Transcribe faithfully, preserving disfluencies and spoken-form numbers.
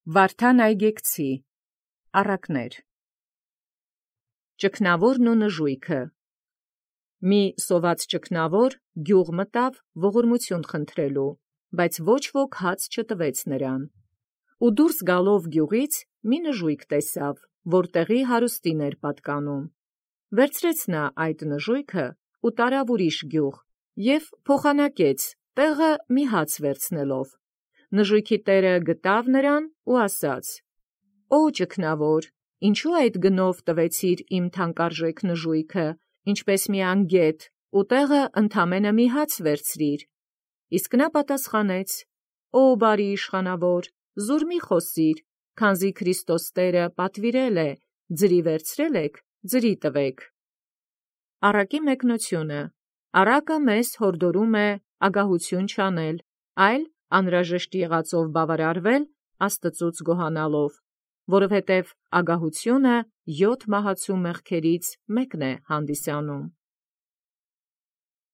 Վարդան Այգեկցի առակներ։ Ճգնաւորն ու նժույգը։ Մի սոված ճգնաւոր գյուղ մտավ ողորմութիւն խնդրելու, բայց ոչ ոք հաց չտվեց նրան։ Ու դուրս գալով գյուղից մի նժույգ տեսավ, որ տեղի հարուստին էր պատկանում։ Վերցրեց նա այդ նժույգը ու տարավ ուրիշ գյուղ և փոխանակեց տեղը մի հաց վերցնելով։ Նժույգի տերը գտավ նրան ու ասաց. «Օ ճգնաւոր, ինչու այդ գնով տվեցիր իմ թանկարժեք նժույգը, ինչպես մի անգետ, ու տեղը ընդամենը մի հաց վերցրիր»։ Իսկ նա պատասխանեց. «Օ բարի իշխանավոր, զուր մի խոսիր, քանզի Քրիստոս Տէրը պատուիրել է. ձրի վերցրել եք, ձրի տվեք»։ Առակի մեկնությունը։ Առակը մեզ յորդորում է ագահութիւն չանել, այլ անհրաժեշտ եղածով բաւարարվել Աստուծոց գոհանալով, որովհետև ագահութիւնը յոթ մահացու մեղքերից մեկն է հանդիսանում։